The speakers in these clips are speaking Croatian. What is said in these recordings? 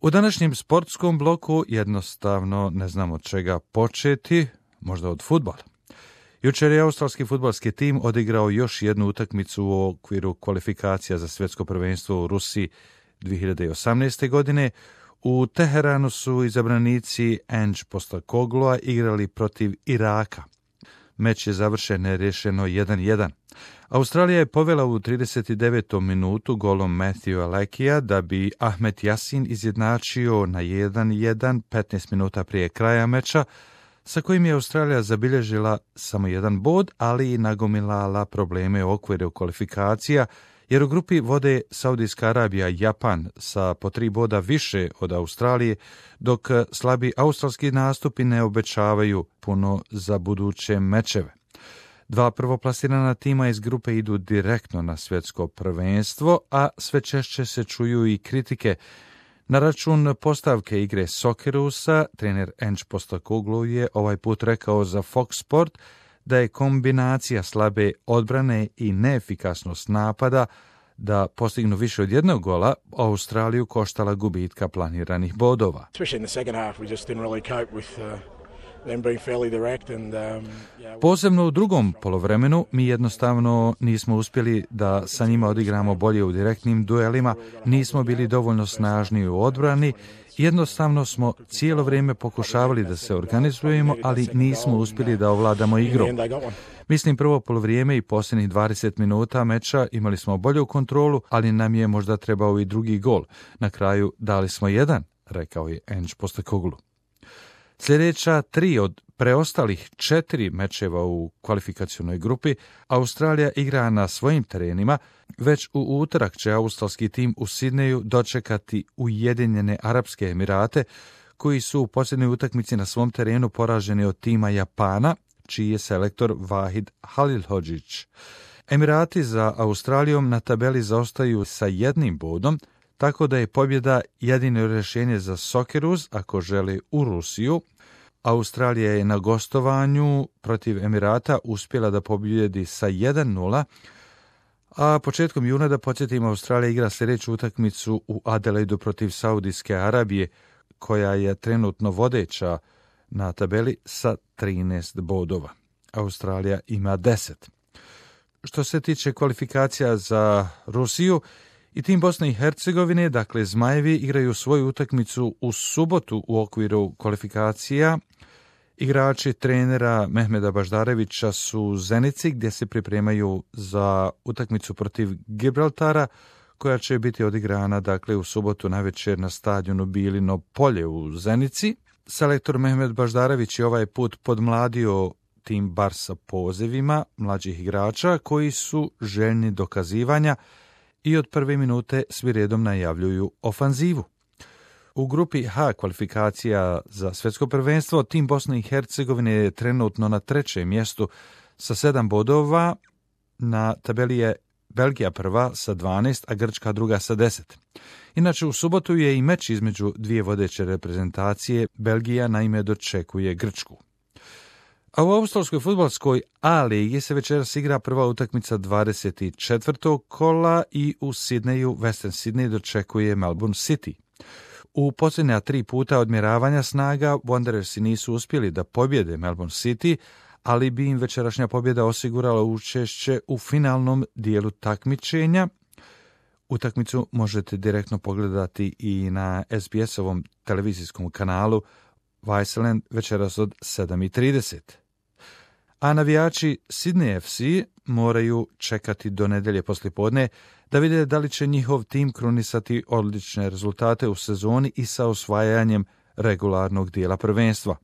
U današnjem sportskom bloku jednostavno ne znam od čega početi, možda od fudbala. Jučer je australski fudbalski tim odigrao još jednu utakmicu u okviru kvalifikacija za svjetsko prvenstvo u Rusiji 2018. godine. U Teheranu su izabranici Ange Postecogloua igrali protiv Iraka. Meč je završen nerješeno 1-1. Australija je povela u 39. minutu golom Matthewa Lekija da bi Ahmed Yasin izjednačio na 1-1 15 minuta prije kraja meča, sa kojim je Australija zabilježila samo jedan bod, ali i nagomilala probleme u okviru kvalifikacija, jer u grupi vode Saudijska Arabija i Japan sa po 3 boda više od Australije, dok slabi australski nastupi ne obećavaju puno za buduće mečeve. 2 prvoplasirana tima iz grupe idu direktno na svjetsko prvenstvo, a sve češće se čuju i kritike na račun postavke igre Soccerusa. Trener Ange Postecoglou je ovaj put rekao za Fox Sport da je kombinacija slabe odbrane i neefikasnost napada da postignu više od jednog gola Australiju koštala gubitka planiranih bodova. Posebno u drugom poluvremenu mi jednostavno nismo uspjeli da sa njima odigramo bolje u direktnim duelima, nismo bili dovoljno snažni u odbrani, jednostavno smo cijelo vrijeme pokušavali da se organizujemo, ali nismo uspjeli da ovladamo igrom. Mislim, prvo poluvrijeme i posljednjih 20 minuta meča imali smo bolju kontrolu, ali nam je možda trebao i drugi gol. Na kraju dali smo 1, rekao je Ange Postecoglou. Sljedeća 3 od preostalih 4 mečeva u kvalifikacionoj grupi Australija igra na svojim terenima. Već u utorak će australski tim u Sidneju dočekati Ujedinjene Arapske Emirate, koji su u posljednjoj utakmici na svom terenu poraženi od tima Japana, čiji je selektor Vahid Halilhodžić. Emirati za Australijom na tabeli zaostaju sa 1 bodom, tako da je pobjeda jedino rješenje za Socceroos ako žele u Rusiju. Australija je na gostovanju protiv Emirata uspjela da pobjedi sa 1-0, a početkom juna, da podsjetimo, Australija igra sljedeću utakmicu u Adelaidu protiv Saudijske Arabije, koja je trenutno vodeća na tabeli sa 13 bodova. Australija ima 10. Što se tiče kvalifikacija za Rusiju, i tim Bosne i Hercegovine, dakle Zmajevi, igraju svoju utakmicu u subotu u okviru kvalifikacija. Igrači trenera Mehmeda Baždarevića su u Zenici, gdje se pripremaju za utakmicu protiv Gibraltara, koja će biti odigrana dakle u subotu navečer na stadionu Bilino polje u Zenici. Selektor Mehmed Baždarević je ovaj put podmladio tim bar sa pozivima mlađih igrača koji su željni dokazivanja i od prve minute svi redom najavljuju ofanzivu. U grupi H kvalifikacija za svjetsko prvenstvo tim Bosne i Hercegovine je trenutno na 3. mjestu sa 7 bodova. Na tabeli je Belgija prva sa 12, a Grčka druga sa 10. Inače, u subotu je i meč između dvije vodeće reprezentacije. Belgija naime dočekuje Grčku. A u australskoj fudbalskoj A ligi se večeras igra prva utakmica 24. kola i u Sidneju Western Sydney dočekuje Melbourne City. U posljednja 3 puta odmjeravanja snaga Wanderersi nisu uspjeli da pobjede Melbourne City, ali bi im večerašnja pobjeda osigurala učešće u finalnom dijelu takmičenja. Utakmicu možete direktno pogledati i na SBS-ovom televizijskom kanalu Viceland večeras od 7:30. A navijači Sydney FC moraju čekati do nedjelje poslijepodne da vide da li će njihov tim krunisati odlične rezultate u sezoni i sa osvajanjem regularnog dijela prvenstva.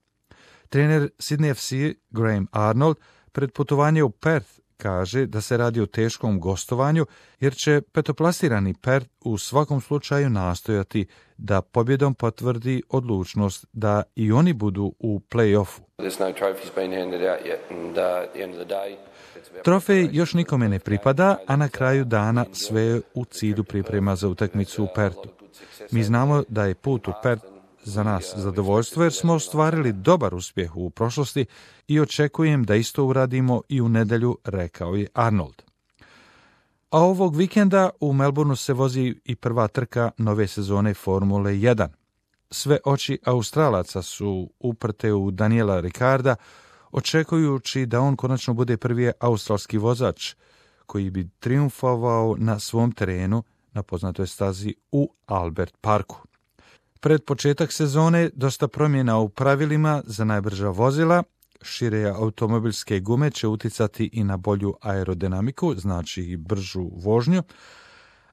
Trener Sydney FC Graham Arnold pred putovanje u Perth kaže da se radi o teškom gostovanju, jer će petoplasirani Perth u svakom slučaju nastojati da pobjedom potvrdi odlučnost da i oni budu u play-offu. Trofej još nikome ne pripada, a na kraju dana sve je u cilju priprema za utakmicu u Perthu. Mi znamo da je put u Perth za nas zadovoljstvo, jer smo ostvarili dobar uspjeh u prošlosti i očekujem da isto uradimo i u nedjelju, rekao je Arnold. A ovog vikenda u Melbourneu se vozi i prva trka nove sezone Formule 1. sve oči Australaca su uprte u Daniela Ricciarda, očekujući da on konačno bude prvi australski vozač koji bi triumfovao na svom terenu na poznatoj stazi u Albert Parku. Pred početak sezone dosta promjena u pravilima za najbrža vozila, šire automobilske gume će uticati i na bolju aerodinamiku, znači i bržu vožnju,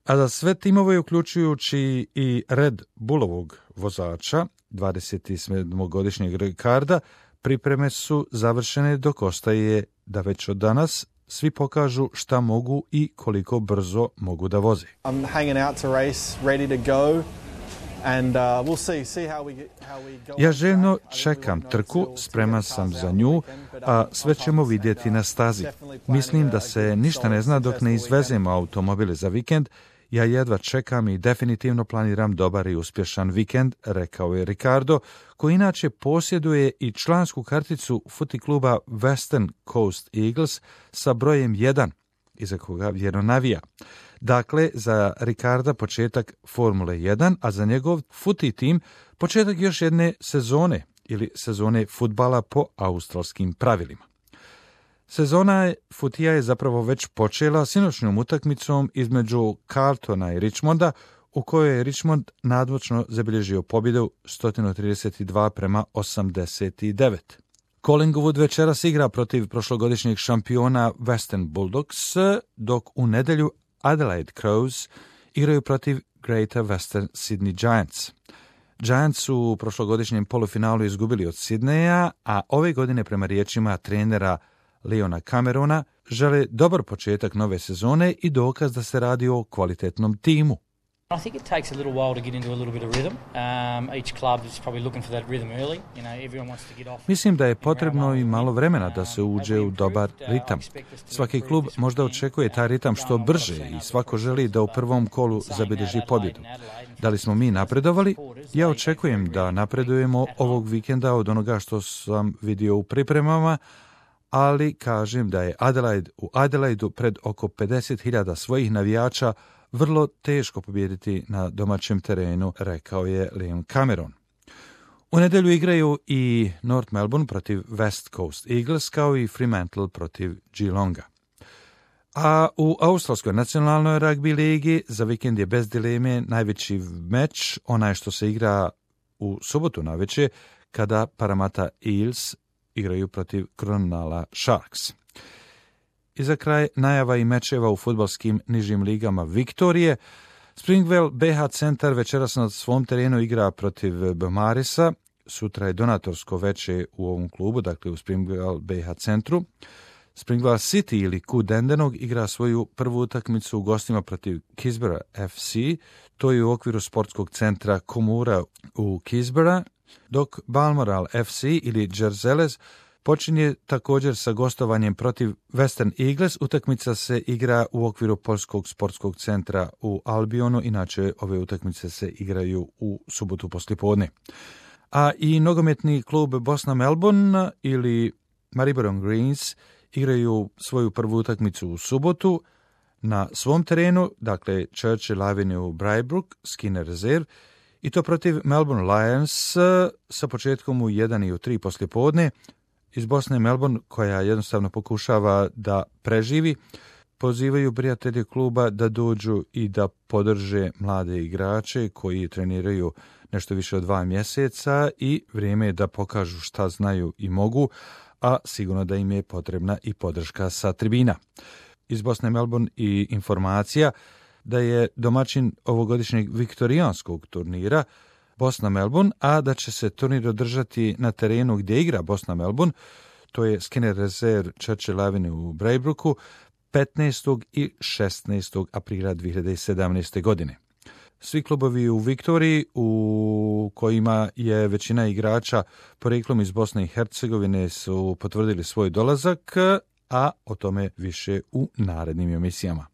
a za sve timove, uključujući i Red Bullovog vozača, 27-godišnjeg Ricciarda, pripreme su završene, dok ostaje da već od danas svi pokažu šta mogu i koliko brzo mogu da voze. I'm hanging out to race, ready to go. Ja željno čekam trku, spreman sam za nju, a sve ćemo vidjeti na stazi. Mislim da se ništa ne zna dok ne izvezemo automobile za vikend. Ja jedva čekam i definitivno planiram dobar i uspješan vikend, rekao je Ricciardo, koji inače posjeduje i člansku karticu footy kluba Western Coast Eagles sa brojem 1, iza koga vjerno navija. Dakle, za Ricciarda početak Formule 1, a za njegov footy tim početak još jedne sezone ili sezone fudbala po australskim pravilima. Sezona futija je zapravo već počela sinoćnom utakmicom između Carltona i Richmonda, u kojoj je Richmond nadmoćno zabilježio pobjedu 132-89. Collingwood večeras igra protiv prošlogodišnjeg šampiona Western Bulldogs, dok u nedjelju Adelaide Crows igraju protiv Greater Western Sydney Giants. Giants su u prošlogodišnjem polufinalu izgubili od Sydneya, a ove godine prema riječima trenera Leona Camerona žele dobar početak nove sezone i dokaz da se radi o kvalitetnom timu. I think it takes a little while to get into a little bit of rhythm. Each club is probably looking for that rhythm early. You know, everyone wants to get off. Mislim da je potrebno i malo vremena da se uđe u dobar ritam. Svaki klub možda očekuje taj ritam što brže i svako želi da u prvom kolu zabilježi pobjedu. Da li smo mi napredovali? Ja očekujem da napredujemo ovog vikenda od onoga što sam vidio u pripremama, ali kažem da je u Adelaidu pred oko 50.000 svojih navijača vrlo teško pobijediti na domaćem terenu, rekao je Liam Cameron. U nedjelju igraju i North Melbourne protiv West Coast Eagles, kao i Fremantle protiv Geelonga. A u Australskoj nacionalnoj ragbi ligi za vikend je bez dileme najveći meč, onaj što se igra u subotu navečer, kada Parramatta Eels igraju protiv Cronulla Sharks. I za kraj najava i mečeva u fudbalskim nižim ligama Viktorije. Springvale BH Centar večeras na svom terenu igra protiv Beaumarisa. Sutra je donatorsko veče u ovom klubu, dakle u Springvale BH Centru. Springvale City ili Ku Dandenong igra svoju prvu utakmicu u gostima protiv Kisbera FC. To je u okviru sportskog centra Komura u Kisbera, dok Balmoral FC ili Jerzeles počinje također sa gostovanjem protiv Western Eagles. Utakmica se igra u okviru Poljskog sportskog centra u Albionu, inače ove utakmice se igraju u subotu poslijepodne. A i nogometni klub Bosna Melbourne ili Maribor Greens igraju svoju prvu utakmicu u subotu na svom terenu, dakle Churchill Avenue u Braybrook, Skinner Reserve, i to protiv Melbourne Lions sa početkom u 1 i u 3 poslijepodne. Iz Bosne Melbourne, koja jednostavno pokušava da preživi, pozivaju prijatelje kluba da dođu i da podrže mlade igrače koji treniraju nešto više od 2 mjeseca i vrijeme je da pokažu šta znaju i mogu, a sigurno da im je potrebna i podrška sa tribina. Iz Bosne Melbourne i informacija da je domaćin ovogodišnjeg viktorijanskog turnira Bosna Melbourne, a da će se turnir održati na terenu gdje igra Bosna Melbourne, to je Skinner Reserve Churchill Avenue u Braybrooku, 15. i 16. aprila 2017. godine. Svi klubovi u Viktoriji, u kojima je većina igrača porijeklom iz Bosne i Hercegovine, su potvrdili svoj dolazak, a o tome više u narednim emisijama.